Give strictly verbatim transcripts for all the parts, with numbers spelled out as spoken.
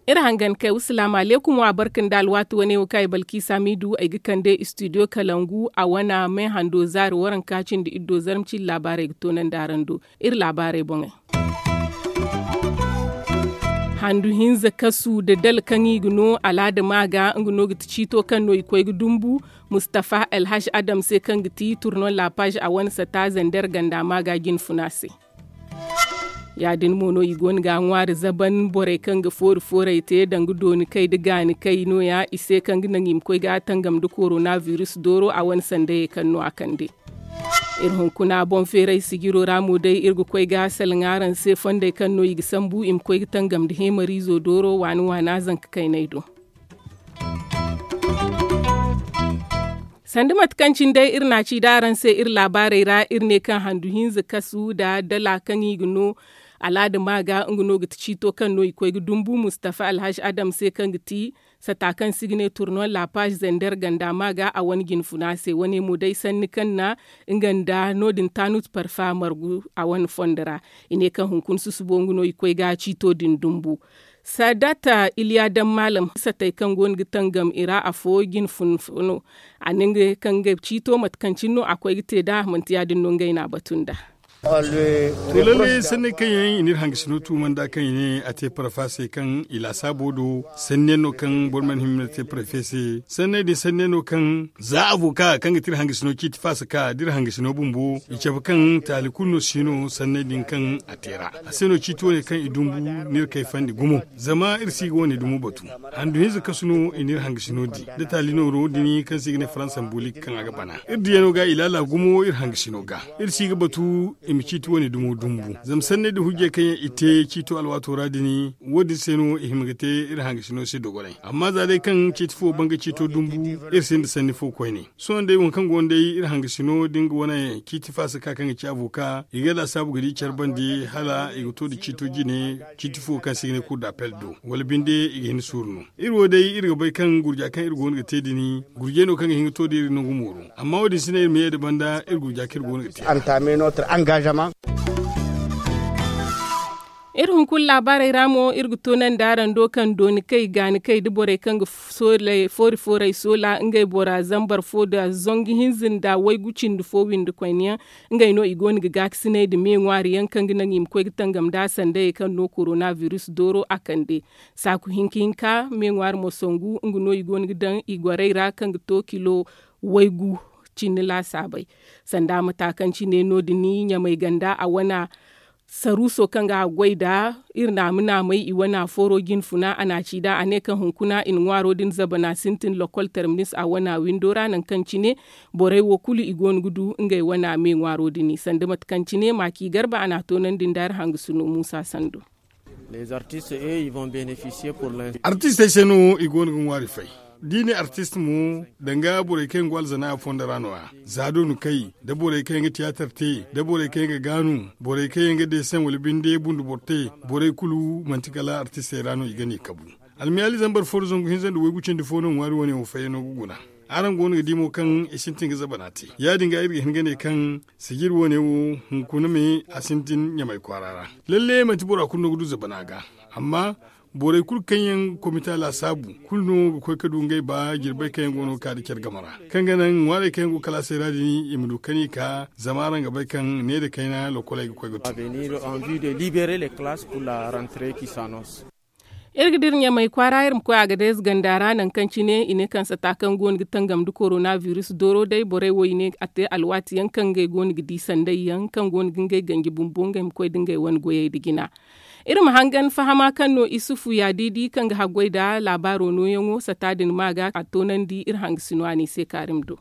Iri hangan kay wasalaamu aleykum wa barka nda alwaati wane wo kaŋ ay balkiisa miidu ay ga kande istidiyo kalangu a wana me hando zaari waranka cindi iddo zarma cindi laabaarey ga toonandi araŋ do. Iri laabaarey boŋey. Handu hinza kasu nda dala kaŋ i ga no alaada maaga nga no ga ti ciito kaŋ no i koy ga dumbu mustafa alhaj adam se kaŋ ga ti turnon laapaz a wane sata zander ganda maaga jinfuna se. Ya- din mo no i go no ga a ŋwaari zaban borey kaŋ ga foori foorey te danga dooni kay nda gaani kay no- ya i se kaŋ ga naŋ i ma koy ga a tangam nda korona biris dooro a wane sandayey kaŋ no a kande. Iri hunkuna boŋ feeray sijiro ra mo day iri ga koy ga salaŋ araŋ se fondey kaŋ no i ga sambu i ma koy ga tangam nda heemariizo dooro waani waana zanka kayney do. Sanda mate kaŋ cine day iri na a ci da araŋ se iri laabaarey ra iri ne kaŋ handu hinza kasu nda dala kaŋ i ga no alaada maaga nga no ga ti ciito kaŋ no i koy ga dumbu mustafa alhaj adam se kaŋ ga ti sata kaŋ se i ga ne turnon laapaz zander ganda maaga a wane jinfuna se wane mo day sanni kaŋ na nga nda no- din taanut parfa margu a wane fondo ra. I ne kaŋ hunkuna susubo nga no i koy ga ciito din dumbu. Saadata iliya daŋ maalam satey kaŋ go no ga tangam i ra afo jinfuna fo no. A ne ngey kaŋ ngey ciito mate kaŋ cine no a koy ga te nd'a manti ya- din no ngey no a batu nd'a. To lalle sanney kaŋ yaŋ i n'iri hangasino tuuma nd'a kaŋ i ne a te parfa se kaŋ i laasaabo do sanniyaŋ no kaŋ boro mana hima te parfe se sanney din sanniyaŋ no kaŋ za avoka kaŋ ga ti iri hangasino ciiti faasa ka da iri hangasino bumbo i cabe kaŋ taali kulu no si no sanney din kaŋ a te ra. A se no ciiti wane kaŋ i dumbu n'iri kayfandi gumo. Zama iri si ga wane dumo batu handu hinza kasu no i n'iri hangasino di da taali nooro din kaŋ se i ga ne faransa mbulik kaŋ a ga bana iri diyano ga i laala gumo iri hangasino ga. Iri si ga batu i ma ciiti wane dumo dumbu zama sanney da hujjey kaŋ yaŋ i te ciito alwaato ra din wo- din se no i hima ga te iri hangasino se dogonay amma za day kaŋ ciiti fo banga ciito dumbu iri sinda sanni fo koyne. Sohõ day waŋ kaŋ go no day iri hangasino da nga wane ciiti faasa ka kaŋ ga ci avoka i ga laasaabu ga di care bande hala i ga to nda ciito jine ciiti fo kaŋ se i ga ne kulu da apel do wala binde i ga hin suuru no. Iri wo day iri ga bay kaŋ gurja kaŋ iri go no ga te din gurjey no kaŋ ga hin ga to da iri nangu mooro. Amma wo- din si ne iri ma ye nda banda iri gurja kaŋ iri go no ga te. Iri hunkuna laabaarey ra mo iri ga toonandi araŋ do kaŋ dooni kay gaani kay nda borey kaŋ ga foori foorey soola ngey bora zambar fo nda zangu hinza nda waygu cindi fo windi koyne yaŋ. Ngey no i go no ga gaakasinay nda me ŋwaari yaŋ kaŋ ga naŋ i ma koy ga tangam nda sandayey kaŋ no korona biris dooro a kande. Saaku hinka hinka me ŋwaari mo sangu nga no i go no ga daŋ i gorey ra kaŋ ga to kilo waygu cindi laasaabey. Sanda mata kaŋ cine no- din ɲamay ganda a wana saruuso kaŋ ga a goy nd'a iri naama naamay i wana fooro jinfuna a na a ci nd'a a ne kaŋ hunkuna i na ŋwaaro din zabana sintin lokol terminis a wana windo ra nangu kaŋ cine borey wo kulu i go no ga du ngey wana me ŋwaaro din sanda mate kaŋ cine maaki garba a na a toonandi nda iri hangasino muusa sando. Artistey se no i go no ga ŋwaari fay. Da i ne artist mo danga borey kaŋ yaŋ go alzana a fondo ra no- ya za doonu kay da borey kaŋ yaŋ ga tiyaatar te da borey kaŋ yaŋ ga gaanu borey kaŋ yaŋ ga deeseŋ wala binde bundu boro te borey kulu manti kala artistey ra no i ga ne kabu. Almiyaali zambar fo nda zangu hinza nda waygu cindi fo no ŋwaari wane wo fayyaŋo ga guna. Araŋ go no ga di mo kaŋ i sintin ga zabana te ya- din ga iri ga hin ga ne kaŋ sijir wane wo hunkuna me a sintin ɲamay kwaara ra. Lalle manti bora kulu no ga du zabana ga. Amma borey kulu kaŋ yaŋ komita laasaabu kulu no ga koy ga du ngey ba jirbey kaŋ yaŋ go no ga ka nda care game ra kaŋ ga naŋ ŋwaarey kaŋ yaŋ go kalaasey ra din i ma du kani ka zama araŋ ga bay kaŋ ne nda kayna lokoley ga koy ga tu. Iri ga dira ɲamay kwaara iri ma koy a ga day zaganda ra nangu kaŋ cine i ne kaŋ sata kaŋ go no ga tangam nda korona biris dooro day borey wo i ne a te alwaati yaŋ kaŋ ngey go no ga di sanday yaŋ kaŋ go no ga ngey ganji bumbo ngey ma koy nda ngey wane goyey nda jina. Iri ma hangan fahama kaŋ no isufu ya diidi kaŋ ga haggoy nda laabaaro nooyaŋo sata din ma ga a toonandi iri hangasino a n'i se kaari ma du.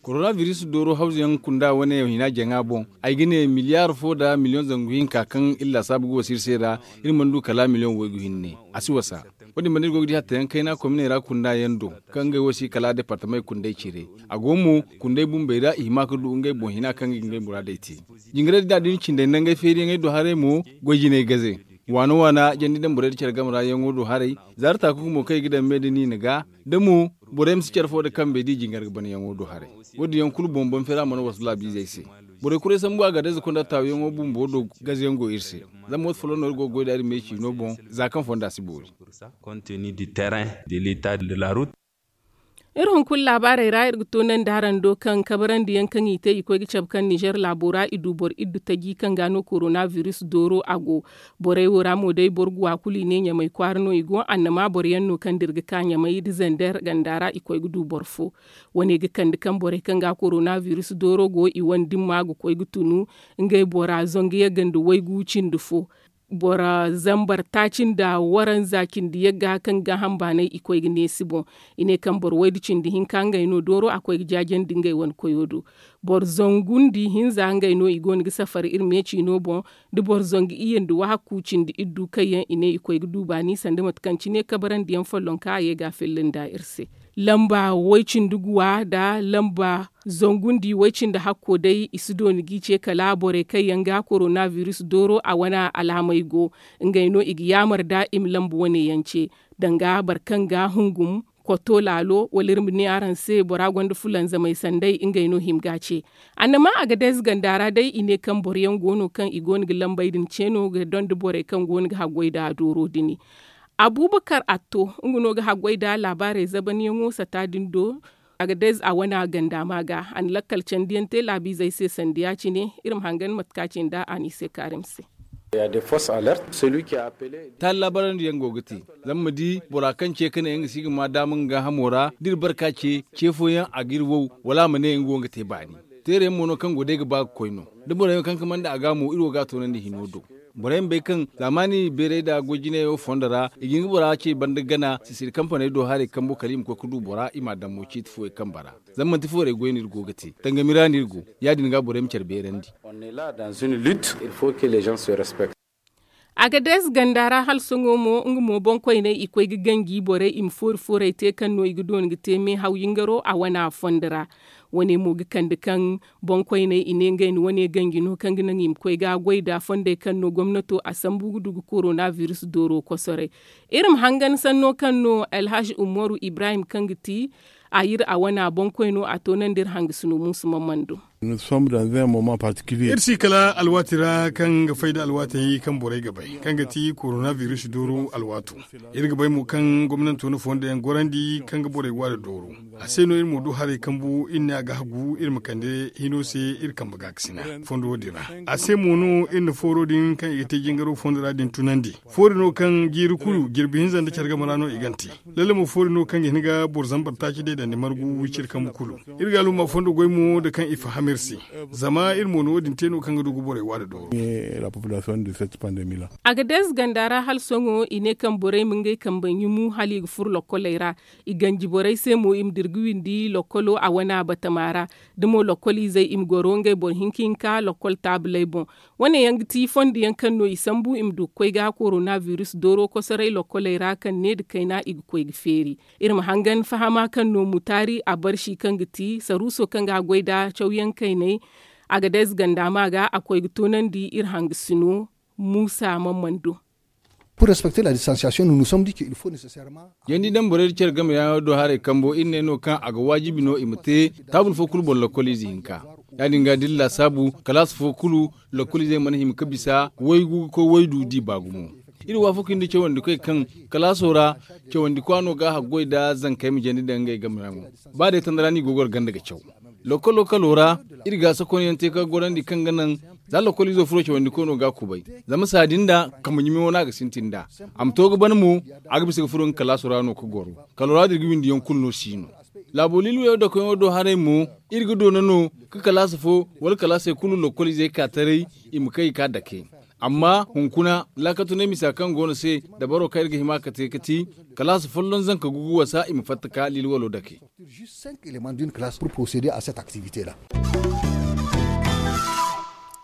Korona biris dooro hawzu yaŋ kunda wane hina jaŋa boŋ ay ga ne miliyaar fo nda miliyoŋ zangu hinka kaŋ iri laasaabu ga wasa iri se ra. Iri mana du kala miliyoŋ waygu hinne a si wasa. Wo- din banda iri go ga di hatta yaŋ kayna kominey ra kunda yaŋ do kaŋ ngey wo si kala departamey kunday cire. A go mo kunday bumbey ra i hima ga du ngey boŋ hina kaŋ ga ngey muraadey te. Jingarey din da a da ni cindey nda ngey feeriyaŋey do haray mo goy jinay gaze. Waana waana jandi daŋ borey nda care game ra yaŋo do haray. Zaari taaku mo kaŋ i ga daŋ me nda niina ga da mo, borey ma si care fo nda kambe da i jingar ga bana yaŋo do haray. Wo- din yaŋ kulu boŋ boŋ feera mana wasu laabiizey se. Borey kuray sambu a ga day za konda taawiyaŋo bumbo do gazayaŋ go iri se. Zama wate folloŋ no iri go ga goy nd'a iri me ciino boŋ, za kaŋ fonda si boori. Iri hunkuna laabaarey ra iri ga toonandi araŋ do kaŋ kabarandi yaŋ kaŋ i te i koy ga cabe kaŋ ninzeer laabo ra i du boro iddu taji kaŋ ga no korona biris dooro a go. Borey wo ra mo day boro guwa kulu i ne ɲamay kwaara no i go annama boro yaŋ no kaŋ dira ga ka ɲamay nda zander ganda ra i koy ga du boro fo. Wane ga kande kaŋ borey kaŋ ga korona biris dooro go i wane dimma ga koy ga tunu ngey bora zangu yagga nda waygu cindi fo. Boro zambar taaci nda waranza cindi yagga kaŋ ga hamba nay i koy ga neesi boŋ. I ne kaŋ boro waydu cindi hinka ngey no dooro a koy ga jaajandi ngey wane koyo do. Boro zangu nda ihinza ngey no i go no ga safar iri me ciino boŋ. Da boro zangu iyye nda wahakku cindi iddu kaŋ yaŋ i ne i koy ga du baani sanda mate kaŋ cine kabarandi yaŋ follonka a ye ga a filla nda iri se. Lamba way cindi guwa nda lamba zangu nda way cindi hakko day i si dooni g'i ce kala borey kaŋ yaŋ ga korona biris dooro a wane alaamey go. Ngey no i ga yaamar nda i ma lamba wane yaŋ ce danga boro kaŋ ga hungum koto laalo wala iri ma ne araŋ se bora gonda fulanzamey sanday ngey no hima ga ce. Annama a ga day ze ganda ra day i ne kaŋ boro yaŋ go no kaŋ i go no ga lambey din ce no ga donda borey kaŋ go no ga haggoy nda dooro din. Abubakar atto nga no ga haggoy nda laabaarey zabanyaŋo sata din do. A ga day ze a wane ganda ma ga a na lakkal candiyaŋ te laabiizey se sanda ya- cine iri ma hangan mate kaŋ a ci nda a n'i se kaarim se. Taali laabarandiyaŋ go ga te zama ma di bora kaŋ ce ka ne nga si ga ma daama nga gaahamo ra da iri barka ce ce fooyaŋ a ga iri wow wala a ma ne nga wo nga te baani. Teerayaŋ mo no kaŋ go day ga ba ga koy no da boro yaŋ kaŋ ka manda a ga mo iri wo ga a toonandi hino do. Borey ma bay kaŋ zaamaani beeray nda goy jinayey wo fondo ra i ga hin ga bora ce banda gana sisiri kampaney do haray kambo kala i ma koy ga du bora i m'a daŋ mo ciiti fooyaŋ kambe ra. Zama manti foorey goy no iri go ga te tangami ra no iri go. Ya- din ga borey ma care beerandi. A ga day ze ganda ra hala sohõ mo nga mo boŋkoyney i koy ga ganji borey i ma foori fooray te kaŋ no i ga dooni ga te meehaw yingaro a wane a fondo ra. Wane mo ga kande kaŋ boŋkoyney i ne ngey na wane ganji no kaŋ ga naŋ i ma koy ga goy nda fondey kaŋ no gomnato a sambu ga du ga korona biris dooro kosoray. Iri ma hangan sanno kaŋ no alhazi umaru ibrahim kaŋ ga ti a yir a wana boŋkoy no a to naŋ da iri hangasino muusu mamman do. Iri si kala alwaati ra kaŋ ga fay nda alwaatey kaŋ borey ga bay kaŋ ga ti korona biris dooro alwaato. Iri ga bay mo kaŋ gomnanto na fondo yaŋ gorandi kaŋ ga borey waada dooro. A se no iri mo du haray kambu iri ne a ga hagu iri ma kande hino se iri kambe gaakasina fondo wo- din ra. A se mo no iri na fooro din kaŋ i ga te jingaro fondo ra din tunandi. Foori no kaŋ jiiri kulu jirbi hinza nda care game ra no i gante. Lalle mo foori no kaŋ ga hin ga boro zambar taaci day dandi margu wiciri kambu kulu. Iri ga alumma fondo goy mo nda kaŋ i faham iri se. Zama iri mo no wo- din te no kaŋ ga du ga borey waada dooro. A ga day ze ganda ra hala sohõ i ne kaŋ borey ma ngey kambe ɲumu hala i ga furo lokkoley ra. I ganji borey se mo i ma dira ga windi lokkolo a wana batama ra. Da mo lokkoliizey i ma goro ngey boro hinka hinka lokkol taabuley boŋ. Wane yaŋ ga ti fondo yaŋ kaŋ no i sambu i ma du ga koy ga korona biris dooro kosoray lokkoley ra kaŋ ne nda kayna i ga koy ga feeri. Iri ma hangan fahama kaŋ no mutaari a barsi kaŋ ga ti saruuso kaŋ ga a goy nda cawyaŋ kaynay. A ga day ze ganda ma ga a koy ga toonandi iri hangasino muusa mamman do. Jandi daŋ borey nda care game yaŋo do haray kambo iri ne no kaŋ a ga waajibi no i ma te. Taabul fo kulu boŋ lokkoliize hinka. Ya- din ga da iri laasaabu kalaasa fo kulu lokkoliizey mana hima ga bisa waygu ga koy waydu da i ba gumo. Iri waafaku nda cawandikoy kaŋ kalaaso ra cawandikwa no ga a haggoy nda zankey ma jandi daŋ ngey game yaŋo. Ba day tanda ra no i go ga goro ganda ga caw. Lokkol lokkolo ra iri ga sakonyaŋ te ka gorandi kaŋ ga naŋ za lokkoliizo furo cawandiko no ga a kubay. Zama saadi nda kambe ɲumay wane a ga sintin nd'a. A ma to ga ban mo a ga bisa ga furo nga kalaaso ra no ga goro. Kalo ra din ga windiyaŋ kulu no si no. Laabo liilwey wo dakoyaŋo do haray mo iri ga doona no ga kalaasa fo wala kalaasey kulu lokkoliizey ka taray. I ma kay ga ka dake. Amma hunkuna laakatunay misa kaŋ go no se dabaro kaŋ iri ga hima ka te ga ti kalaasa folloŋ zanka gugu wasa i ma fatta ka liilwalo dake.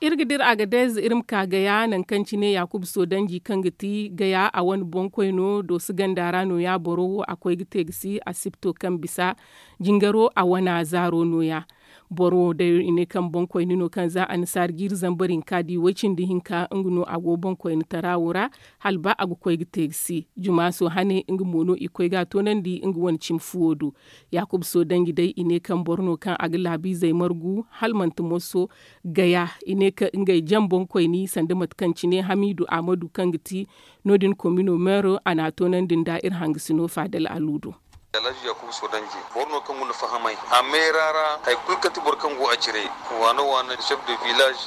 Iri ga dira a ga day ze iri ma ka gaya nangu kaŋ cine yaakuba soodanji kaŋ ga ti gaya a wane boŋkoy no dooso ganda ra nooya boro wo a koy ga te ga si asipto kaŋ bisa jingaro a wane zaaro nooya. Boro wo day i ne kaŋ boŋkoyne no kaŋ za annasaara jiiri zambar hinka di way-cindi hinka nga no a go boŋkoyne tara wo ra, hala ba a ga koy ga te ga si. Jumaaso hane nga mo no i koy ga a toonandi nga wane cimi fuwo do. Yaakuba soodanji day i ne kaŋ boro no kaŋ a ga laabiizey margu hala manti moso gaya i ne kaŋ ngey jaŋ boŋkoyne sanda mate kaŋ cine hamiidu ahmadu kaŋ ga ti no- din komino meero a n'a toonandi nda iri hangasino faadal aluudo. Alhaji yaakuba soodanji boro no kaŋ guna fahamay a meera ra hari kulu kaŋ ti boro kaŋ go a cire, waana waana chef de village,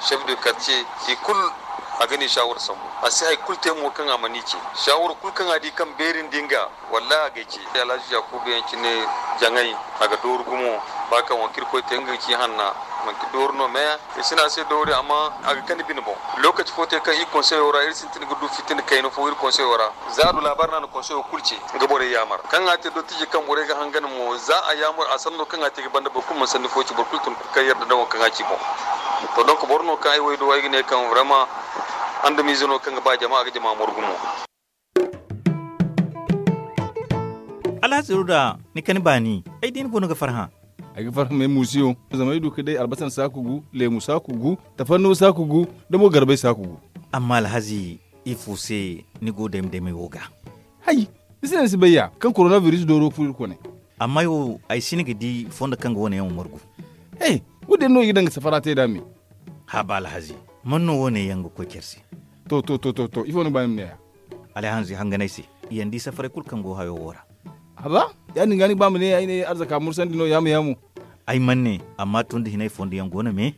chef de quartier, i kulu a ga ne saawara sambu. A si hari kulu te mo kaŋ a mana i ce saawara kulu kaŋ a di kaŋ beeri nda nga. Wallahi a ga ay ce alhaji yaakuba yaŋ cine, jaŋay a ga dooru gumo. Ba kaŋ waŋ kaŋ iri koy te nga ga ci hanna, manti dooru no me. I si ne a se doori amma a ga kande bine boŋ. Lookaci fo te kaŋ iri konseyo ra iri sintin ga du fitina kayna fo iri konseyo ra, za a du laabaari no a na konseyo kulu ce. Nga borey yaamar kaŋ a te dottijo kaŋ borey ga hangan mo za a yaamar a sanno kaŋ a te ga banda boro kulu mana sanni fo ci boro kulu tun kaŋ yarda nda waŋ kaŋ a ci boŋ. To donk boro no kaŋ ay wo ay do ay ga ne kaŋ vraiment andamiize no kaŋ ga ba jama a ga jama morgu mo. Alhazi ruda, ni kani baani ay di ni go no ga farhã. Ay ga farhã ma ay muusiyo zama ay du ga day albasar saaku gu, leemu saaku gu, tafarnuwa saaku gu, da mo garbay saaku gu. Amma alhazi, ifo se ni go dayma daymay wo ga? Hay, ni si ne ni si bay ya kaŋ korona biris dooro ga furo iri kone. Amma ay wo ay si ni ga di fondo kaŋ ga wane yaŋ wo margu. He, wo- din no i ga daŋ ga safara te nd'a me. Haba alhazi, man no wo- ne yaŋ ga koy care se? To to to to to ifo ni ga ba ni ma ne ya? Alhazi hangan ay se, yaŋ di safaray kulu kaŋ go hayo wo ra. Haba, ya- din ga ni ga ba ma ne ay ne arzaka mursandi no yaamu yaamu. Ay mana ne, amma tun da hinay fondo yaŋ go no me.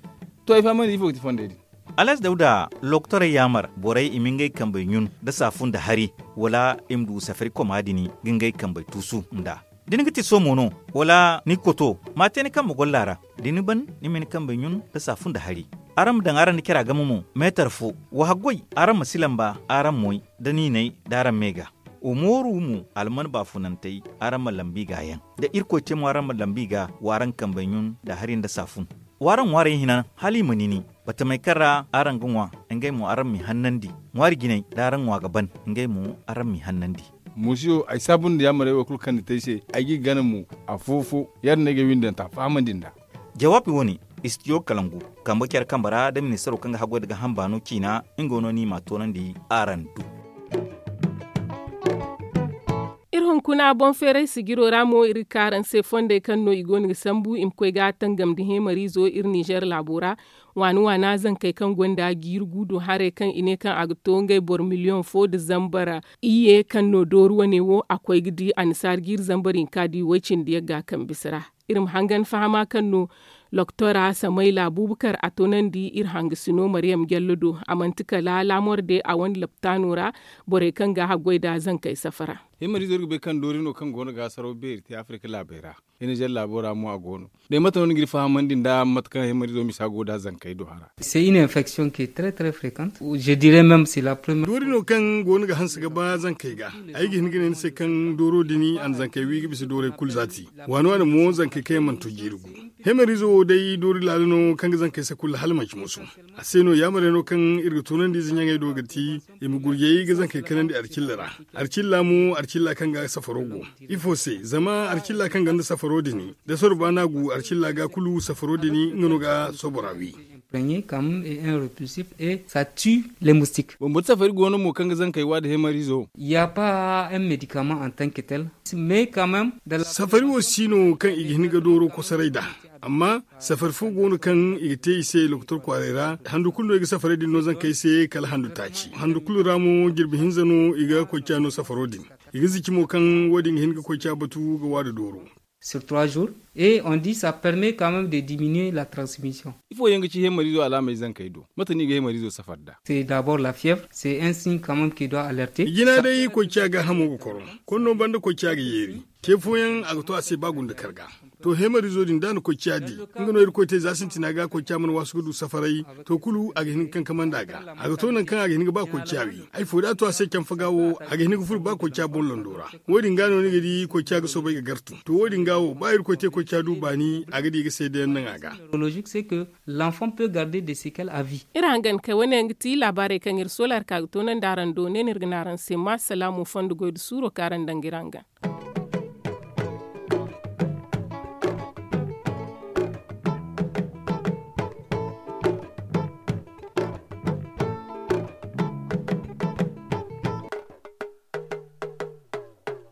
To ay fahamandi ifo ga ti fondey din? Alhazi dawda, lokotorey yaamar borey i ma ngey kambey ɲun nda saafu nda hari, wala i ma du safari koma din ga ngey kambey tuusu nd'a? Da ni ga ti somo no, wala ni ga koto, ma a te ni kambe golla ra. Da ni ban, ni ma ni kambey ɲun nda saafu nda hari. Araŋ ma daŋ araŋ nda cara game mo meetar fo. Wa haggoy, araŋ ma si lamba araŋ moy, da niinay da araŋ me ga. Wa mooru mo, alman baafunantey, araŋ ma lambu i ga yaŋ. Da irkoy te mo araŋ ma lambu i ga, wa araŋ kambey ɲun nda hari nda saafun. Wa araŋ ŋwaarey hina hala i ma nini. Batamey kaŋ ra araŋ ga ŋwa, ngey mo araŋ m'i hannandi. Ŋwaari jinay da araŋ ŋwa ga ban, ngey mo araŋ m'i hannandi. Muusiyo, ay saabu nda yaamarey wo kulu kaŋ ni te ay se, ay g'i gana mo. Afo-fo, ya- din no ay ga ay windanta fahamandi nd'a. Jawaabi wo- ne, istidiyo kalangu, kambe care kambe ra da ministaro kaŋ ga haggoy nda gaaham baano ciina, nga no ni m'a toonandi araŋ du. Iri hunkuna boŋ feeray sijiro ra mo iri ga ka araŋ se fondey kaŋ no i go no ga sambu i ma koy ga tangam nda heemariizo iri ninzeer laabo ra. Waana waana zankey kaŋ gonda jiiri guudu haray kaŋ i ne kaŋ a ga to ngey boro miliyoŋ fo nda zambar iyye kaŋ no dooru wane wo a koy ga di annasaara jiiri zambar hinka di way-cindi yagga kaŋ bisa ra. Iri ma hangan fahama kaŋ no loktora samayla buubakar a toonandi iri hangasino maryam jallo do. A manti kala laamor de a wane laptaano ra, borey kaŋ ga haggoy nda zankey safara. Himariizo iri ga bay kaŋ doori no kaŋ go no ga saraw beeri te afirika laabey ra. Hinizer laabo ra mo a go no. Day mate no ni g'iri fahamandi nda mate kaŋ himariizo misa go nda zankey do hara? C'est une infection qui est très très fréquente. Je dirais même c'est la première. Doori no kaŋ go no ga hanse ga ba zankey ga. Ay ga hin ga ne ni se kaŋ dooro din a na zankey wi ga bisa doorey kulu zaati. Waani waani mo zankey kaŋ yaŋ mana to jiiri gu. Hemerizo wo day doori laala no kaŋ ga zankey sakulla hala manci musu. A se no yaamarey no kaŋ iri ga tunandi ize ɲaŋey do ga ti i ma gurjey ga zankey kanandi arcilla ra. Arcilla mo arcilla kaŋ ga safaro go. Ifo se zama arcilla kaŋ ganda safaro din da sorba no a gu arcilla ga kulu safaro din nga no ga sobora wi. Premier quand même et un repulsif et ça tue les moustiques. Bumbo safari go no mo kaŋ ga zankey wa da hemerizo. Ya pas un médicament en tant que tel. Mais quand même da la. Safari wo si no kaŋ i ga hin ga dooro kosoray da. Amma safari fo go no kaŋ i ga te i se lokotor kwaaray ra handu kulu no i ga safaray din no zankey se kala handu taaci handu kulu ra mo jirbi hinza no i ga koyca no safaro din. I ga zici mo kaŋ wo- din ga hin ga koyca batu ga wa da dooro. Sur trois jours et on dit ça permet quand même de diminuer la transmission. Ifo yaŋ ga ci hemariizo alaamey zankey do? Mate no i ga hemariizo safar da? C'est d'abord la fièvre, c'est un signe quand même qui doit alerter. Jina day koyca ga hamo ga koro. Konno banda koyca ga yeeri. Te fooyaŋ a ga to a se ba gunda karga. To hemariizo din da a na koyca di nga no irkoy te za sintina ga koyca mana waasu ga du safaray. To kulu a ga hin ga kankamandi a ga. A ga to nangu kaŋ a ga hin ga ba koyca wi. Ay fo da a to a se canfa ga wo a ga hin ga furo ba koyca boŋ lando ra. Wo- din ga no ni ga di koyca ga soobay ga gartu. To wo- din ga wo ba irkoy te koyca du baani a ga di ga seedayaŋ naŋ a ga. Neurologique c'est que l'enfant peut garder des séquelles à vie. Iri hangan kay wane yaŋ ga ti laabaarey kaŋ iri soola iri ka ga toonandi araŋ do ne no iri ga ne araŋ se ma salaamu fondo goy nda suuro kaŋ araŋ daŋ ga iri hangan.